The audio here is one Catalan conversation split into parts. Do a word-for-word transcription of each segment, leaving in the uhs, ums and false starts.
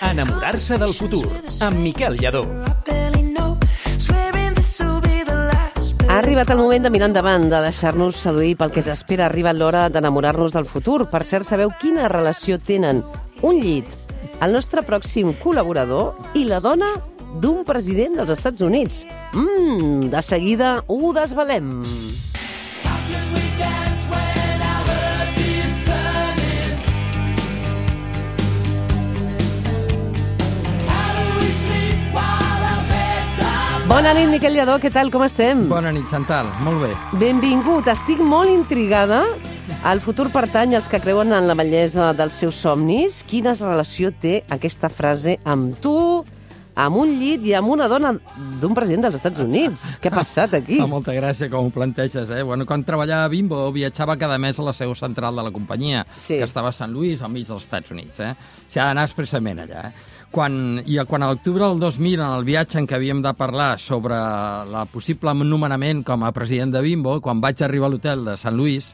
Enamorar-se del futur, amb Miquel Lladó. Ha arribat el moment de mirar endavant, de deixar-nos seduir pel que ens espera. Ha arribat l'hora d'enamorar-nos del futur. Per cert, sabeu quina relació tenen un llit, el nostre pròxim col·laborador i la dona d'un president dels Estats Units? Mmm, de seguida ho desvelem. Bona nit, Miquel Lladó, què tal, com estem? Bona nit, Chantal, molt bé. Benvingut, estic molt intrigada. El futur pertany als que creuen en la bellesa dels seus somnis. Quina relació té aquesta frase amb tu, amb un llit i amb una dona d'un president dels Estats Units? Què ha passat aquí? Fa molta gràcia com ho planteges, eh? Bueno, quan treballava a Bimbo, viatjava cada mes a la seu central de la companyia, sí, que estava a Sant Louis, al mig dels Estats Units, eh? S'ha d'anar expressament allà, eh? Quan, I quan a l'octubre del dos mil, en el viatge en què havíem de parlar sobre la possible nomenament com a president de Bimbo, quan vaig arribar a l'hotel de Sant Louis,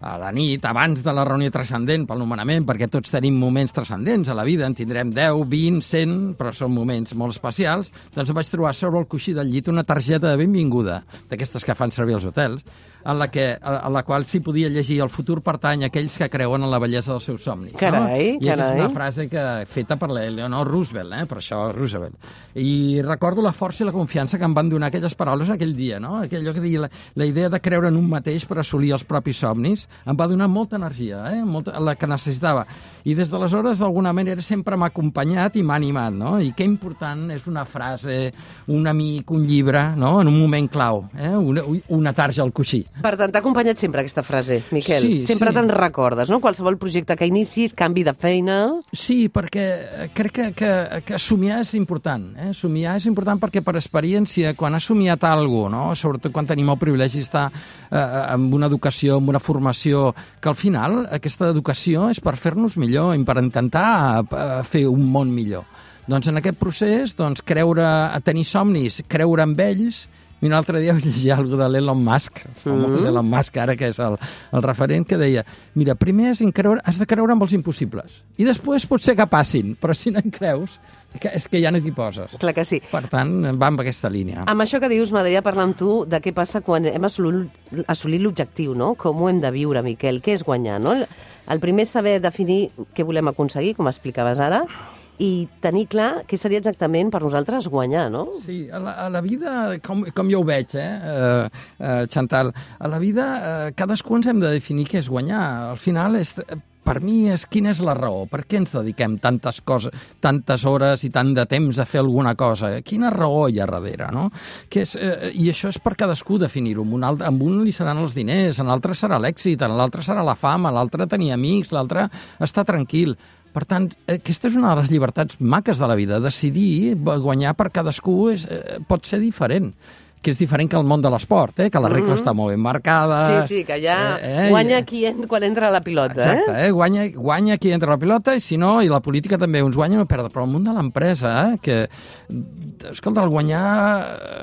a la nit, abans de la reunió transcendent pel nomenament, perquè tots tenim moments transcendents a la vida, en tindrem deu, vint, cent, però són moments molt especials, doncs vaig trobar sobre el coixí del llit una targeta de benvinguda, d'aquestes que fan servir als hotels, en la, que, en la qual s'hi podia llegir el futur pertany a aquells que creuen en la bellesa dels seus somnis. Carai, no? I carai. és una frase que, feta per l'Eleanor Roosevelt, eh? Per això Roosevelt. I recordo la força i la confiança que em van donar aquelles paraules aquell dia, no? Aquell que deia la, la idea de creure en un mateix per assolir els propis somnis em va donar molta energia, eh? Molta, la que necessitava. I des d'aleshores, d'alguna manera, sempre m'ha acompanyat i m'ha animat, no? I que important és una frase, un amic, un llibre, no? En un moment clau, eh? Una, una tarja al coixí. Per tant, t'ha acompanyat sempre aquesta frase, Miquel. Sí, sempre sí. Te'n recordes, no? Qualsevol projecte que inicis, canvi de feina... Sí, perquè crec que, que, que somiar és important. Eh? Somiar és important perquè, per experiència, quan has somiat alguna cosa, no? Sobretot quan tenim el privilegi d'estar eh, amb una educació, amb una formació, que al final aquesta educació és per fer-nos millor i per intentar eh, fer un món millor. Doncs en aquest procés, doncs, creure, tenir somnis, creure en ells. Mira, l'altre dia vaig llegir alguna cosa de l'Elon Musk, famós Elon Musk, ara que és el, el referent, que deia, mira, primer has, creure, has de creure en els impossibles, i després pot ser que passin, però si no en creus, que és que ja no t'hi poses. Clar que sí. Per tant, va amb aquesta línia. Amb això que dius, m'agradaria parlar amb tu de què passa quan hem assolit, assolit l'objectiu, no? Com ho hem de viure, Miquel? Què és guanyar, no? El primer és saber definir què volem aconseguir, com explicaves ara, i tenir clar què seria exactament per nosaltres guanyar, no? Sí, a la, a la vida, com, com jo ho veig, eh, uh, uh, Chantal, a la vida uh, cadascú ens hem de definir què és guanyar. Al final, és, per mi, és quina és la raó. Per què ens dediquem tantes coses, tantes hores i tant de temps a fer alguna cosa? Quina raó hi ha darrere, no? Que és, uh, I això és per cadascú definir-ho. Amb un, altre, amb un li seran els diners, en l'altre serà l'èxit, en l'altre serà la fama, l'altre tenir amics, l'altre estar tranquil. Per tant, aquesta és una de les llibertats maques de la vida. Decidir guanyar per cadascú és, eh, pot ser diferent, que és diferent que el món de l'esport, eh? Que les regles mm-hmm. estan molt ben marcades. Sí, sí, que ja eh, eh, guanya qui en, quan entra la pilota. Exacte, eh? eh? Guanya, guanya qui entra la pilota, i si no, i la política també, uns guanya o perden. Però el món de l'empresa, eh? que, escolta, el guanyar,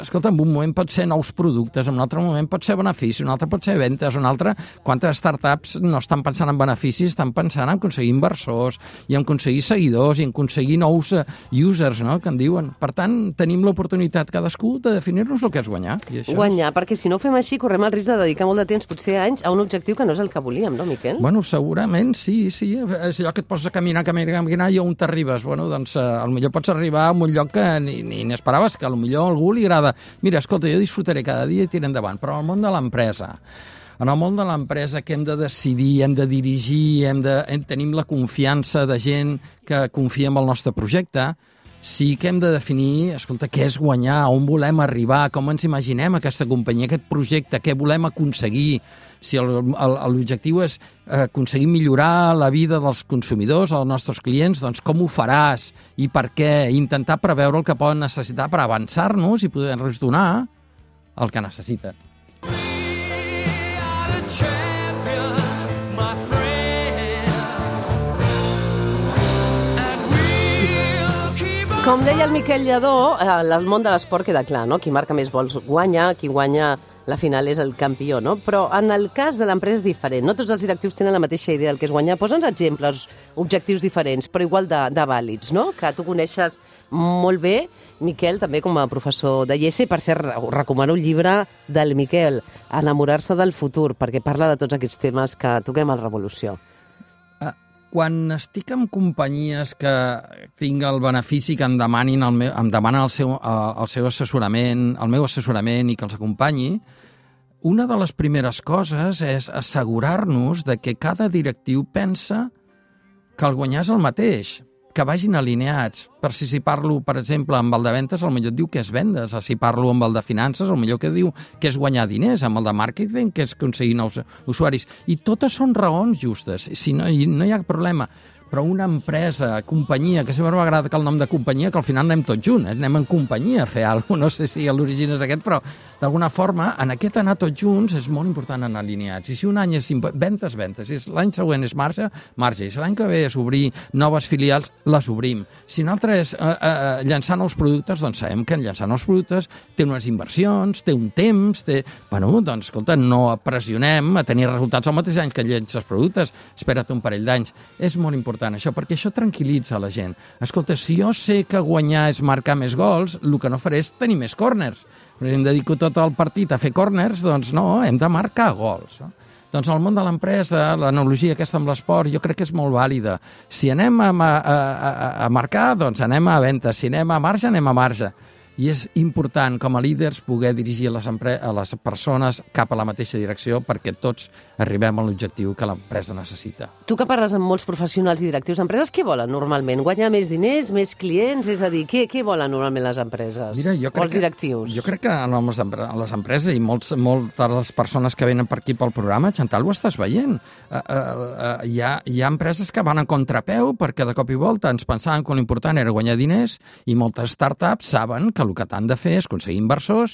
escolta, en un moment pot ser nous productes, en un altre moment pot ser benefici, un altre pot ser ventes, un altre... Quantes startups no estan pensant en beneficis, estan pensant en aconseguir inversors, i en aconseguir seguidors, i en aconseguir nous users, no?, que en diuen. Per tant, tenim l'oportunitat cadascú de definir-nos el que és guanyar. I això guanyar, és... perquè si no ho fem així correm el risc de dedicar molt de temps, potser anys, a un objectiu que no és el que volíem, no, Miquel? Bueno, segurament, sí, sí. És allò que et poses a caminar, caminar, caminar, i on t'arribes? Bueno, doncs, eh, potser pots arribar a un lloc que ni, ni n'esperaves, que potser a algú li agrada. Mira, escolta, jo disfrutaré cada dia i tiraré endavant, però en el món de l'empresa, en el món de l'empresa que hem de decidir, hem de dirigir, hem de, hem, tenim la confiança de gent que confia en el nostre projecte, sí que hem de definir, escolta, què és guanyar, on volem arribar, com ens imaginem aquesta companyia, aquest projecte, què volem aconseguir. Si l'objectiu és aconseguir millorar la vida dels consumidors, dels nostres clients, doncs com ho faràs i per què? Intentar preveure el que poden necessitar per avançar-nos i poder-nos donar el que necessiten. Com deia el Miquel Lladó, el món de l'esport queda clar, no? Qui marca més gols guanya, qui guanya la final és el campió, no? Però en el cas de l'empresa és diferent. No tots els directius tenen la mateixa idea del que és guanyar. Posa'ns exemples, objectius diferents, però igual de, de vàlids, no? Que tu coneixes molt bé, Miquel, també com a professor de I E S E. Per cert, recomano el llibre del Miquel, Enamorar-se del futur, perquè parla de tots aquests temes que toquem al Revolució. Quan estic en companyies que tinc el benefici que em demanin el meu, em demanen el seu, el seu assessorament, el meu assessorament i que els acompanyi, una de les primeres coses és assegurar-nos de que cada directiu pensa que el guanyar és el mateix, que vagin alineats. Per si, si parlo, per exemple, amb el de ventes, potser et diu que és vendes. Si parlo amb el de finances, potser que diu que és guanyar diners. Amb el de màrqueting, que és aconseguir nous usuaris. I totes són raons justes. Si no, no hi ha problema. Però una empresa, companyia, que sempre m'agrada que el nom de companyia, que al final anem tots junts, eh? Anem en companyia a fer alguna cosa, no sé si l'origen és aquest, però d'alguna forma, en aquest anar tots junts és molt important anar alineats. I si un any és ventes, ventes, si l'any següent és marge, marge. I si l'any que ve és obrir noves filials, les obrim. Si un altre és eh, eh, llançar nous productes, doncs sabem que llançar nous productes té unes inversions, té un temps, té... Bueno, doncs, escolta, no pressionem a tenir resultats al mateix any que llences productes, espera't un parell d'anys. És molt important això, perquè això tranquil·litza la gent. Escolta, si jo sé que guanyar és marcar més gols, el que no faré és tenir més córners. Si em dedico tot el partit a fer córners, doncs no, hem de marcar gols. No? Doncs el món de l'empresa, l'analogia aquesta amb l'esport, jo crec que és molt vàlida. Si anem a, a, a, a marcar, doncs anem a venda. Si anem a marge, anem a marge. I és important, com a líders, poder dirigir les, a les persones cap a la mateixa direcció perquè tots arribem a l'objectiu que l'empresa necessita. Tu que parles amb molts professionals i directius d'empreses, què volen normalment? Guanyar més diners, més clients? És a dir, què, què volen normalment les empreses? Mira, jo crec o els directius? Que, jo crec que en les empreses i molts, moltes de les persones que venen per aquí pel programa, Chantal, ho estàs veient. Uh, uh, uh, hi, ha, hi ha empreses que van a contrapeu perquè de cop i volta ens pensaven que l'important era guanyar diners i moltes startups saben que el que t'han de fer és aconseguir inversors,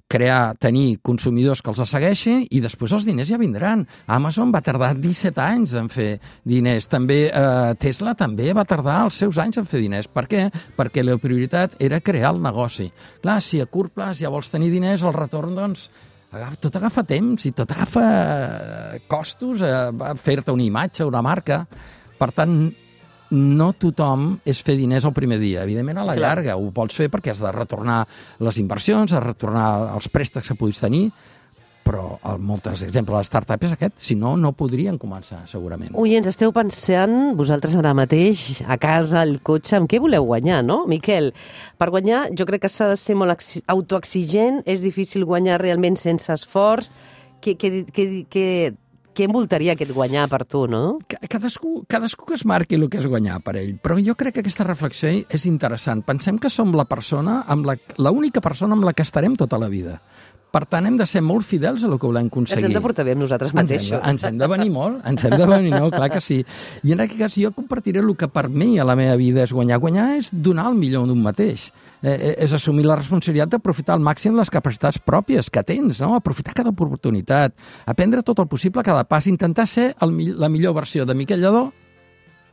crear, tenir consumidors que els segueixin i després els diners ja vindran. Amazon va tardar disset anys en fer diners. També eh, Tesla també va tardar els seus anys en fer diners. Per què? Perquè la prioritat era crear el negoci. Clar, si a curt plaç ja vols tenir diners, el retorn, doncs, tot agafa temps i tot agafa costos, eh, fer-te una imatge, una marca. Per tant, no tothom és fer diners el primer dia. Evidentment, a la Clar. llarga ho pots fer perquè has de retornar les inversions, has de retornar els préstecs que puguis tenir, però el moltes exemples de les startups és aquest, si no, no podrien començar, segurament. Oients, esteu pensant, vosaltres ara mateix, a casa, al cotxe, amb què voleu guanyar, no? Miquel, per guanyar jo crec que s'ha de ser molt autoexigent, és difícil guanyar realment sense esforç. Què, què, què, què, què envoltaria aquest guanyar per tu, no? Cadascú, cadascú que es marqui el que és guanyar per ell, però jo crec que aquesta reflexió és interessant. Pensem que som la persona, amb la, l'única persona amb la que estarem tota la vida. Per tant, hem de ser molt fidels a el que volem aconseguir. Ens hem de portar bé amb nosaltres mateixos. Ens hem, ens hem de venir molt, ens hem de venir molt, clar que sí. I en aquest cas jo compartiré el que per mi a la meva vida és guanyar. Guanyar és donar el millor d'un mateix. Eh, és assumir la responsabilitat d'aprofitar al màxim les capacitats pròpies que tens, no? Aprofitar cada oportunitat, aprendre tot el possible a cada pas, intentar ser el, la millor versió de Miquel Lladó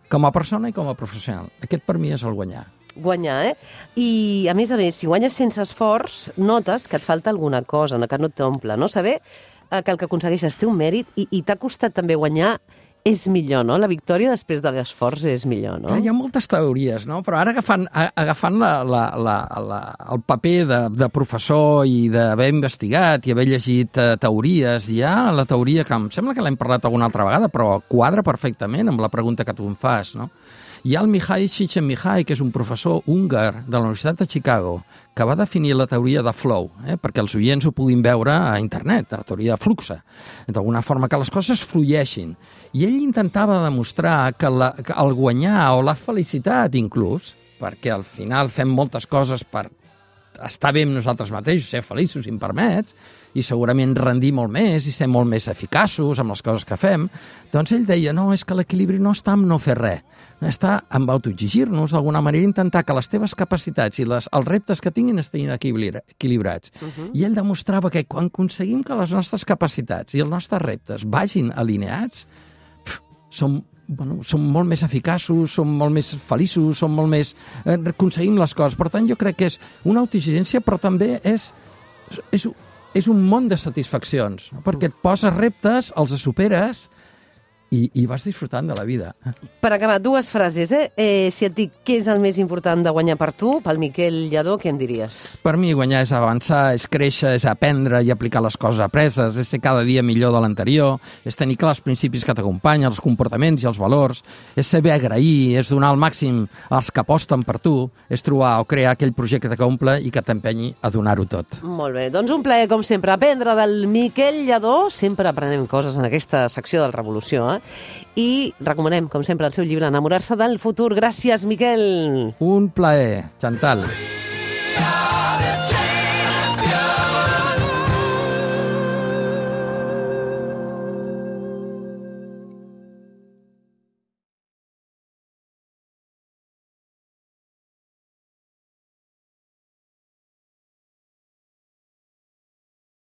com a persona i com a professional. Aquest per mi és el guanyar. Guanyar, eh? I, a més a més, si guanyes sense esforç, notes que et falta alguna cosa, que no t'omple, no? Saber que el que aconsegueixes té un mèrit i, i t'ha costat també guanyar és millor, no? La victòria després de l'esforç és millor, no? Hi ha moltes teories, no? Però ara agafant, agafant la, la, la, la, el paper de, de professor i d'haver investigat i haver llegit uh, teories, hi ha la teoria que em sembla que l'hem parlat alguna altra vegada, però quadra perfectament amb la pregunta que tu em fas, no? Hi ha el Mihai Csikszentmihalyi, que és un professor húngar de la Universitat de Chicago, que va definir la teoria de flow, eh, perquè els oients ho puguin veure a internet, la teoria de flux, d'alguna forma que les coses flueixin. I ell intentava demostrar que, la, que el guanyar o la felicitat inclús, perquè al final fem moltes coses per estar bé amb nosaltres mateixos, ser feliços, si em permets, i segurament rendir molt més i ser molt més eficaços amb les coses que fem, doncs ell deia, no, és que l'equilibri no està en no fer res, està en autoexigir-nos, d'alguna manera intentar que les teves capacitats i les, els reptes que tinguin estiguin equilibrats. Uh -huh. I ell demostrava que quan aconseguim que les nostres capacitats i els nostres reptes vagin alineats, pf, som Bueno, som molt més eficaços, som molt més feliços, som molt més... Eh, aconseguim les coses. Per tant, jo crec que és una autoexigència, però també és, és és un món de satisfaccions, perquè et poses reptes, els superes i, i vas disfrutant de la vida. Per acabar, dues frases, eh? eh? Si et dic què és el més important de guanyar per tu, pel Miquel Lladó, què em diries? Per mi guanyar és avançar, és créixer, és aprendre i aplicar les coses apreses, és ser cada dia millor de l'anterior, és tenir clar els principis que t'acompanyen, els comportaments i els valors, és saber agrair, és donar el màxim als que aposten per tu, és trobar o crear aquell projecte que omple i que t'empenyi a donar-ho tot. Molt bé, doncs un plaer, com sempre, aprendre del Miquel Lladó. Sempre aprenem coses en aquesta secció del Revolució, eh? I recomanem, com sempre, el seu llibre Enamorar-se del futur. Gràcies, Miquel. Un plaer, Chantal.